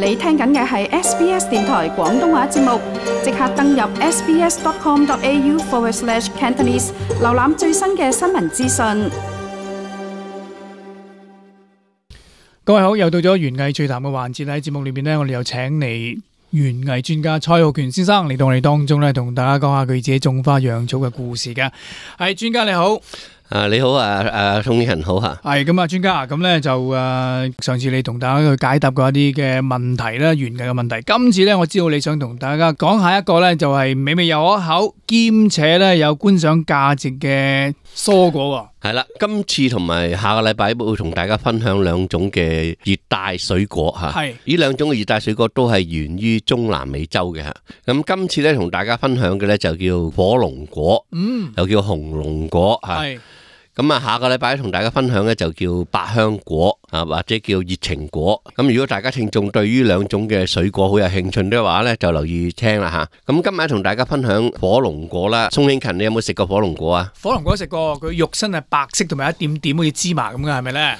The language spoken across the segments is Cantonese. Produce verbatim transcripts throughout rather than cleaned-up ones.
你聽緊嘅係 S B S 電台廣東話節目，即刻登入 sbs.com.au forward slash Cantonese， 瀏覽最新嘅新聞資訊。各位好，又到咗園藝趣談嘅環節。喺節目裏面呢，我哋又請嚟園藝專家蔡浩權先生嚟到我哋當中咧，同大家講下佢自己種花養草嘅故事嘅。係專家你好。啊，你好啊，誒，通人好吓。係咁啊，專家啊，咁咧就誒，上次你同大家去解答過一啲嘅問題啦，園藝嘅問題。今次咧，我知道你想同大家講下一個咧，就係美味又可口，兼且咧有觀賞價值嘅蔬果。係啦，今次同埋下個禮拜會同大家分享兩種嘅熱帶水果吓。係呢兩種嘅熱帶水果都係源於中南美洲嘅吓。咁今次咧同大家分享嘅咧就叫火龍果，嗯，又叫紅龍果吓。係。咁啊，下個禮拜同大家分享咧就叫百香果啊，或者叫熱情果。咁如果大家聽眾對於兩種嘅水果好有興趣嘅話咧，就留意聽啦吓。咁今日同大家分享火龍果啦。宋慶勤，你有冇食過火龍果啊？火龍果食過，佢肉身係白色同埋一點點好似芝麻咁嘅，係咪咧？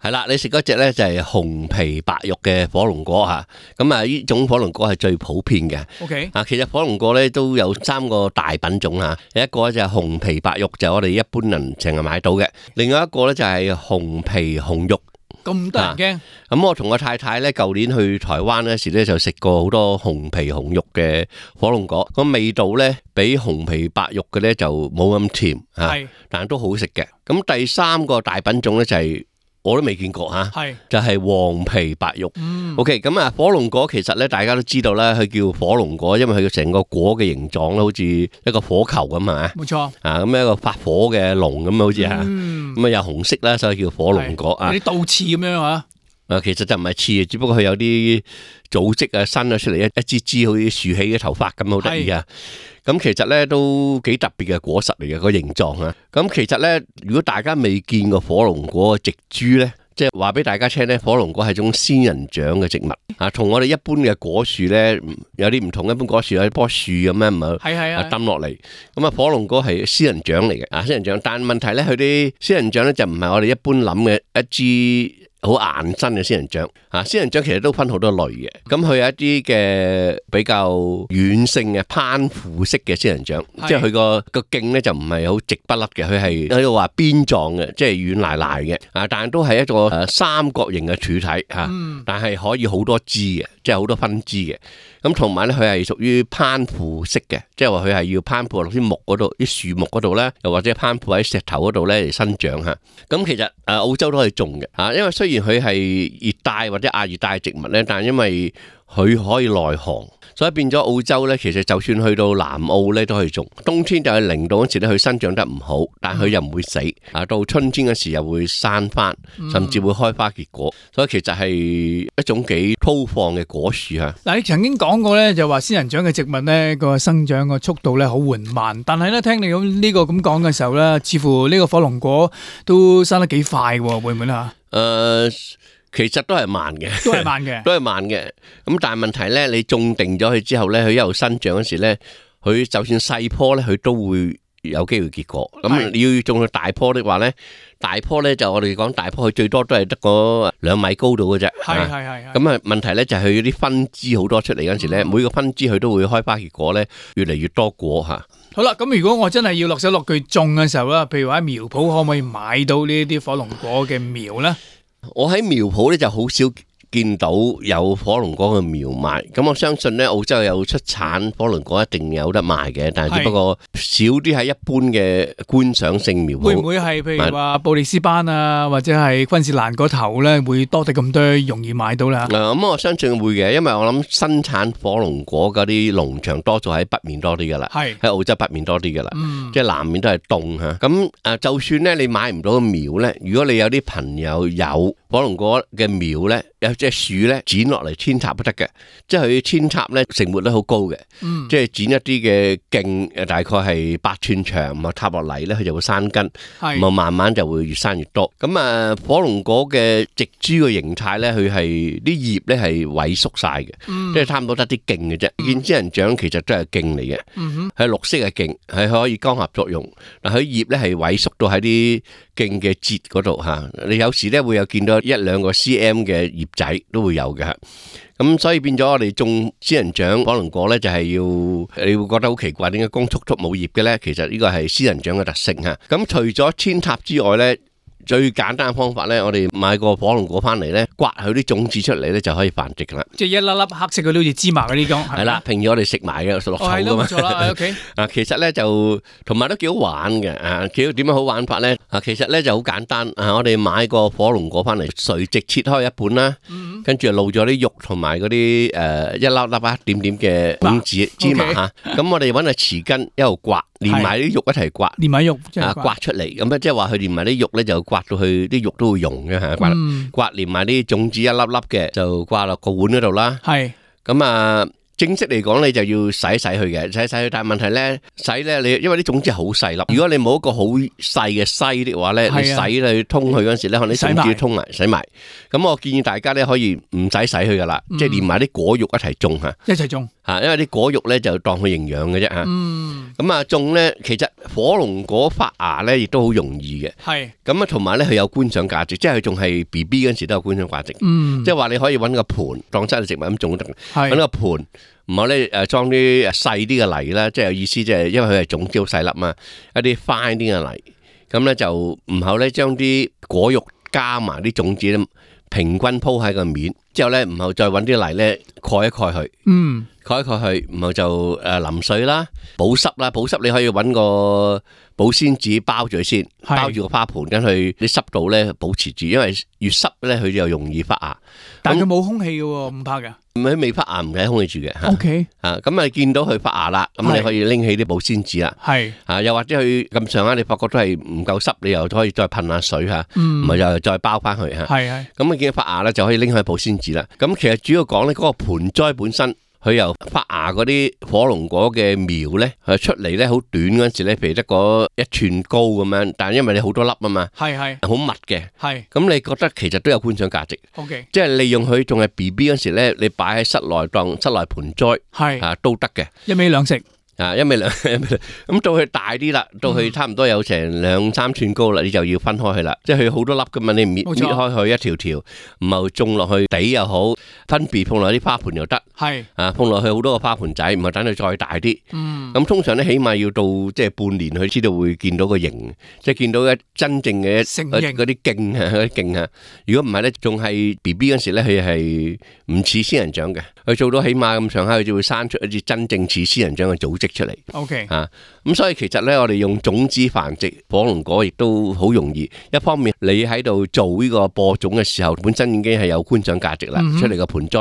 係啦，你食嗰隻咧就係紅皮白肉嘅火龍果吓，咁啊呢種火龍果係最普遍嘅。OK， 啊其實火龍果咧都有三個大品種吓，有一個就係紅皮白肉，就係我哋一般人成日買到嘅；另外一個咧就係紅皮紅肉。咁得人驚？咁、啊、我同我太太咧舊年去台灣嗰時咧就食過好多紅皮紅肉嘅火龍果，個味道咧比紅皮白肉嘅咧就冇咁甜吓，但係都好食嘅。咁第三個大品種咧就係、是。我都未見過吓，係就係黃皮白肉。嗯、OK， 咁啊，火龍果其實咧，大家都知道啦，佢叫火龍果，因為佢成個果嘅形狀咧，好似一個火球咁啊。冇錯。啊，咁一個發火嘅龍咁好似吓，咁啊有紅色啦，所以叫火龍果啊。有啲倒刺咁樣啊。啊，其實就唔係刺，只不過佢有啲組織啊，伸咗出嚟一一支支好似豎起嘅頭髮咁，好得意啊！咁其實咧都幾特別嘅果實嚟嘅個形狀啊！咁其實咧，如果大家未見過火龍果嘅植株咧，即係話俾大家聽咧，火龍果係種仙人掌嘅植物啊，同我哋一般嘅果樹咧有啲唔同。一般果樹有一棵樹咁樣，唔係係係啊抌落嚟。咁啊，火龍果係仙人掌嚟嘅啊，仙人掌。但係問題咧，佢啲仙人掌咧就唔係我哋一般諗嘅一支好硬身嘅仙人掌啊！仙人掌其實都分好多類嘅，咁佢有一啲嘅比較軟性嘅攀附式嘅仙人掌，即係佢個個莖咧就唔係好直不甩嘅，佢係喺度話邊狀嘅，即係軟賴賴嘅啊！但係都係一個誒三角形嘅柱體吓，嗯、但係可以好多枝嘅，即係好多分支嘅。咁同埋咧，佢係屬於攀附式嘅，即係話佢係要攀附落啲木嗰度、啲樹木嗰度咧，又或者攀附喺石頭嗰度咧嚟生長吓。咁其實誒澳洲都可以種嘅吓，因為雖然佢係熱帶或者亞熱帶植物咧，但係因為佢可以耐寒，所以變咗澳洲咧，其實就算去到南澳咧都可以種。冬天就係零度嗰時咧，佢生長得唔好，但係佢又唔會死啊。到春天嗰時又會生翻，甚至會開花結果。所以其實係一種幾粗放嘅果樹啊。嗱，你曾經講過咧，就話仙人掌嘅植物咧個生長個速度咧好緩慢，但係咧聽你咁呢個咁講嘅時候咧，似乎呢個火龍果都生得幾快喎，會唔會啊？誒、呃。其實都係慢嘅，都係慢嘅，都係慢嘅。咁但係問題咧，你種定咗佢之後咧，佢一路生長嗰時咧，佢就算細棵咧，佢都會有機會結果。咁你要種到大棵的話咧，大棵咧就我哋講大棵，佢最多都係得個兩米高度嘅啫。係係係。咁啊問題咧就係佢啲分支好多出嚟嗰時咧，嗯、每個分支佢都會開花結果咧，越嚟越多果吓。好啦，咁如果我真係要落手落腳種嘅時候啦，譬如話喺苗圃可唔可以買到呢啲火龍果嘅苗咧？我喺苗圃咧就好少見到有火龍果嘅苗賣，咁我相信咧澳洲有出產火龍果一定有得賣嘅，但係只不過少啲喺一般嘅觀賞性苗圃。會唔會係譬如話布里斯班啊，或者係昆士蘭嗰頭咧，會多啲咁多容易買到啦？嗱、嗯，咁我相信會嘅，因為我諗生產火龍果嗰啲農場多數喺北面多啲噶啦，係喺澳洲北面多啲噶啦，嗯、即係南面都係凍吓。咁誒，就算咧你買唔到個苗咧，如果你有啲朋友有火龍果嘅苗咧，有隻樹咧剪落嚟扦插都得嘅，即係佢扦插咧成活率好高嘅，嗯、即係剪一啲嘅莖誒，大概係八寸長，咁啊插落嚟咧，佢就會生根，咁啊慢慢就會越生越多。咁啊火龍果嘅植株嘅形態咧，佢係啲葉咧係萎縮晒嘅，嗯、即係差唔多得啲莖嘅啫。見仙人掌其實都係莖嚟嘅，係、嗯、哼綠色嘅莖，係可以光合作用。嗱，佢葉咧係萎縮到喺啲莖嘅節嗰度吓，你有時咧會有見到一兩個 cm 嘅葉仔底都會有嘅。咁所以變咗我哋種仙人掌火龍果咧，就係要你會覺得好奇怪，點解光禿禿冇葉嘅咧？其實呢個係仙人掌嘅特性吓。咁除咗扦插之外咧，最簡單嘅方法咧，我哋買個火龍果翻嚟咧，刮佢啲種子出嚟咧，就可以繁殖噶啦。即係一粒粒黑色嘅，好似芝麻嗰啲咁。係啦，平時我哋食埋嘅，落草噶嘛。冇錯啦 ，OK。啊，其實咧就同埋都幾好玩嘅。啊，幾點樣好玩法咧？啊，其實咧就好簡單。啊，我哋買個火龍果翻嚟，垂直切開一半啦，跟住露咗啲肉同埋嗰啲誒一粒粒啊點點嘅種子芝麻吓。咁我哋搵個匙羹一路刮，連埋啲肉一齊刮，連埋肉啊刮出嚟。咁咧即係話佢連埋啲肉咧就刮到去啲肉都會溶嘅吓，刮刮連埋啲種子一粒粒嘅就掛落個碗嗰度啦。係咁啊，正式嚟講你就要洗一洗佢嘅，洗一洗佢。但係問題咧，洗咧你因為啲種子好細粒，如果你冇一個好細嘅篩的話咧，你洗你通佢嗰陣時咧，可能啲種子要通埋洗埋。咁我建議大家咧可以唔使洗佢噶啦，即係連埋啲果肉一齊種吓，一齊種吓，因為啲果肉咧就當佢營養嘅啫吓。咁啊種咧，其實火龍果發芽咧亦都好容易嘅。係咁啊，同埋咧佢有觀賞價值，即係佢仲係 B B 嗰陣時都有觀賞價值。嗯，即係話你可以搵個盆當真係植物咁種都得，搵個盆。唔好咧，誒裝啲細啲嘅泥啦，即係有意思，即係因為佢係種子好細粒嘛，一啲 fine 啲嘅泥，咁咧就唔好咧將啲果肉加埋啲種子咧平均鋪喺個面，之後咧唔好再揾啲泥咧蓋一蓋佢，嗯，蓋一蓋佢，然後就誒淋水啦，保濕啦，保濕你可以揾個保鮮紙包住佢先，包住個花盆，跟佢啲濕度咧保持住，因為越濕咧佢就容易發芽。但佢冇空氣嘅，唔怕嘅。佢未發芽唔使空氣住嘅。O K， 啊，咁啊見到佢發芽啦，咁你可以拎起啲保鮮紙啦。係啊，又或者佢咁上下，你發覺都係唔夠濕，你又可以再噴下水吓，唔係又再包翻佢吓。係係。咁啊見到發芽咧，就可以拎去保鮮紙啦。咁其實主要講咧，嗰個盆栽本身。佢由發芽嗰啲火龍果嘅苗咧，係出嚟咧好短嗰陣時咧，譬如得嗰一寸高咁樣，但係因為你好多粒啊嘛，係係好密嘅，係咁你覺得其實都有觀賞價值。OK，即係利用佢仲係 B B 嗰陣時咧，你擺喺室內當室內盆栽，係啊都得嘅，一味兩食。啊，一味兩咁到佢大啲啦，到佢差唔多有成兩三寸高啦，你就要分開佢啦。即係佢好多粒噶嘛，你搣搣開佢一條條，唔係種落去底又好，分別放落啲花盆又得。係啊，放落去好多個花盆仔，唔係等佢再大啲。嗯，咁通常咧起碼要到即係半年，佢知道會見到個形，即係見到一真正嘅嗰啲莖啊，嗰啲莖啊。如果唔係咧，仲係 B B 嗰時咧，佢係唔似仙人掌嘅。佢做到起碼咁上下，佢就會生出一啲真正似仙人掌嘅組織出嚟。OK， 啊，咁所以其實咧，我哋用種子繁殖火龍果亦都好容易。一方面，你喺度做呢個播種嘅時候，本身已經係有觀賞價值啦，嗯、出嚟個盆栽，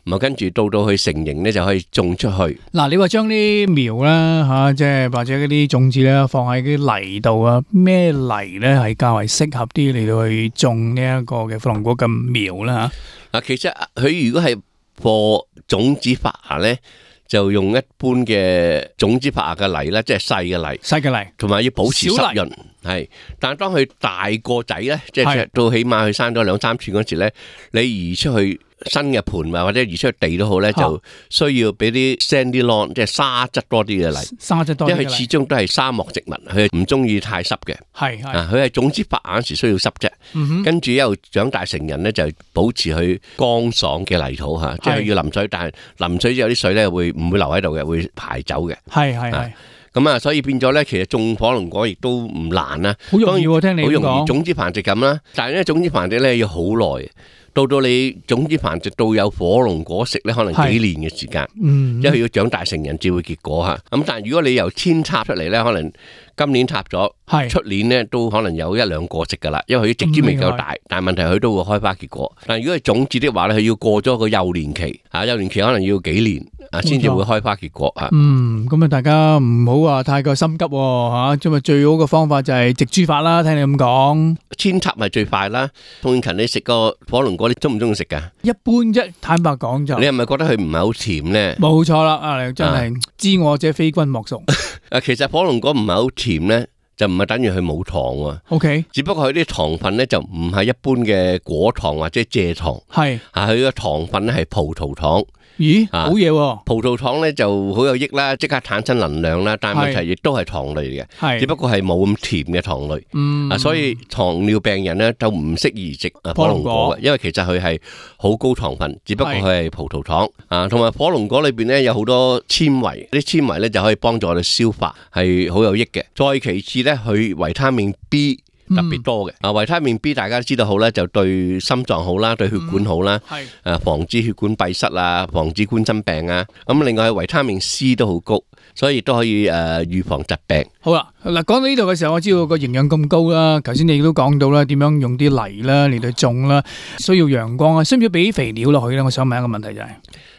咁啊跟住到到佢成形咧，就可以種出去。嗱，你話將啲苗啦吓，即係或者嗰啲種子咧，放喺啲泥度啊，咩泥咧係較為適合啲嚟到去種呢一個嘅火龍果嘅苗啦吓？嗱，其實佢如果係播種子發芽咧，就用一般嘅種子發芽嘅泥咧，即係細嘅泥，細嘅泥，同埋要保持濕潤。係，但係當佢大個仔咧，即係到起碼佢生咗兩三寸嗰時咧，你移出去新嘅盆或者移出去地都好咧，就需要俾啲 sandy lawn， 即係沙質多啲嘅泥，沙質多啲嘅泥，因為佢始終都係沙漠植物，佢唔中意太濕嘅。係係，啊，佢係種子發芽嗰時需要濕啫，嗯、跟住一路長大成人咧，就保持佢乾爽嘅泥土吓，即係要淋水，但係淋水之後啲水咧會唔會留喺度嘅，會排走嘅。係係係。咁啊，所以變咗咧，其實種火龍果亦都唔難啊，好容易喎，聽你講，好容易種子繁殖咁啦。但係咧，種子繁殖咧要好耐，到到你種子繁殖到有火龍果食咧，可能幾年嘅時間，嗯，因為要長大成人至會結果吓。咁但係如果你由扦插出嚟咧，可能今年插咗，出年咧都可能有一兩個食噶啦，因為佢直枝未夠大，但係問題佢都會開花結果。但係如果係種子的話咧，佢要過咗個幼年期，吓幼年期可能要幾年。啊，先至會開花結果啊！嗯，咁啊，大家唔好話太過心急吓，咁啊，最好嘅方法就係植株法啦。聽你咁講，扦插係最快啦。宋勤，你食個火龍果，你中唔中意食噶？一般啫，坦白講就。你係咪覺得佢唔係好甜咧？冇錯啦，啊，真係知我者非君莫屬。誒，其實火龍果唔係好甜咧，就唔係等於佢冇糖喎。O K， 只不過佢啲糖分咧就唔係一般嘅果糖或者蔗糖，係啊，佢嘅糖分咧係葡萄糖。咦，好嘢喎！葡萄糖咧就好有益啦，即刻產生能量啦，但係問題亦都係糖類嘅，只不過係冇咁甜嘅糖類。嗯，啊，所以糖尿病人咧就唔適宜食火龍果嘅，因為其實佢係好高糖分，只不過佢係葡萄糖啊，同埋火龍果裏邊咧有好多纖維，啲纖維咧就可以幫助我哋消化，係好有益嘅。再其次咧，佢維他命 B。特別多嘅啊，維他命 B 大家都知道好咧，就對心臟好啦，對血管好啦，係誒防止血管閉塞啊，防止冠心病啊。咁另外維他命 C 都好高，所以都可以誒預防疾病。好啦，嗱講到呢度嘅時候，我知道個營養咁高啦。頭先你都講到啦，點樣用啲泥啦嚟到種啦，需要陽光啊，需唔需要俾肥料落去咧？我想問一個問題就係，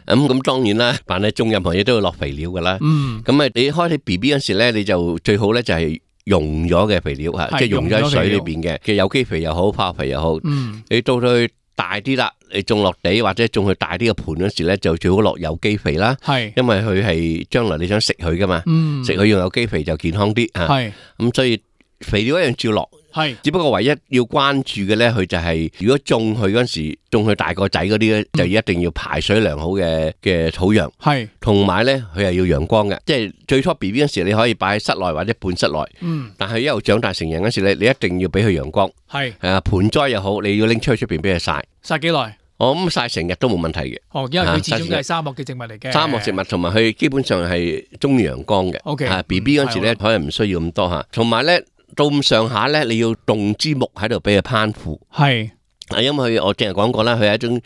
咁咁當然啦，凡係種任何嘢都要落肥料噶啦。嗯，咁啊，你開始 B B 嗰時咧，你就最好咧就係。溶咗嘅肥料吓，即係溶咗喺水裏邊嘅嘅有機肥又好，化學肥又好。嗯，你到佢大啲啦，你種落地或者種去大啲嘅盤嗰時咧，就最好落有機肥啦。係，因為佢係將來你想食佢噶嘛，嗯，食佢用有機肥就健康啲吓。係，咁所以肥料一樣照落。係，只不過唯一要關注嘅咧，佢就係如果種佢嗰時，種佢大個仔嗰啲咧，就一定要排水良好嘅嘅土壤。係，同埋咧，佢係要陽光嘅。即係最初 B B 嗰時，你可以擺喺室內或者半室內。嗯，但係一路長大成人嗰時咧，你一定要俾佢陽光。係，誒盆栽又好，你要拎出去出邊俾佢曬。曬幾耐？我諗曬成日都冇問題嘅。哦，因為佢始終都係沙漠嘅植物嚟嘅。沙漠植物同埋佢基本上係中意陽光嘅。O K，啊 B B 嗰時咧，可能唔需要咁多吓。同埋咧。到咁上下咧，你要動支木喺度俾佢攀附。係，啊，因為佢我淨係講過啦，佢係一種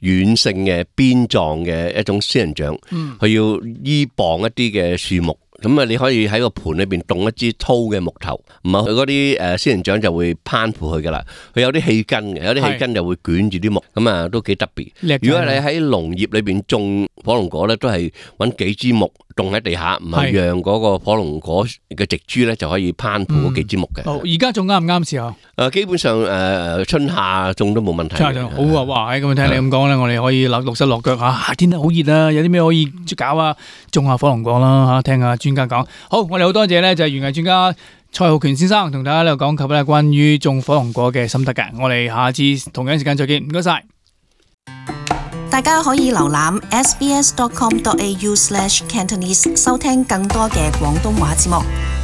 軟性嘅邊狀嘅一種仙人掌。嗯，佢要依傍一啲嘅樹木。咁啊，你可以喺個盤裏邊動一支粗嘅木頭，唔係佢嗰啲誒仙人掌就會攀附佢噶啦。佢有啲氣根嘅，有啲氣根就會捲住啲木，咁啊都幾特別。如果你喺農業裏邊種火龍果咧，都係揾幾支木種喺地下，唔係讓嗰個火龍果嘅植株咧就可以攀附嗰幾支木嘅。好，而家種啱唔啱時候？誒，基本上誒春夏種都冇問題。春夏種好啊！哇，咁聽你咁講咧，我哋可以落落手落腳嚇。夏天都好熱啊，有啲咩可以搞啊？種下火龍果啦嚇，聽下專家講。好，我哋好多謝咧，就係園藝專家蔡浩權先生同大家咧講及咧關於種火龍果嘅心得嘅。我哋下次同樣時間再見，唔該晒。大家可以瀏覽 s b s dot com dot a u slash cantonese 收聽更多嘅廣東話節目。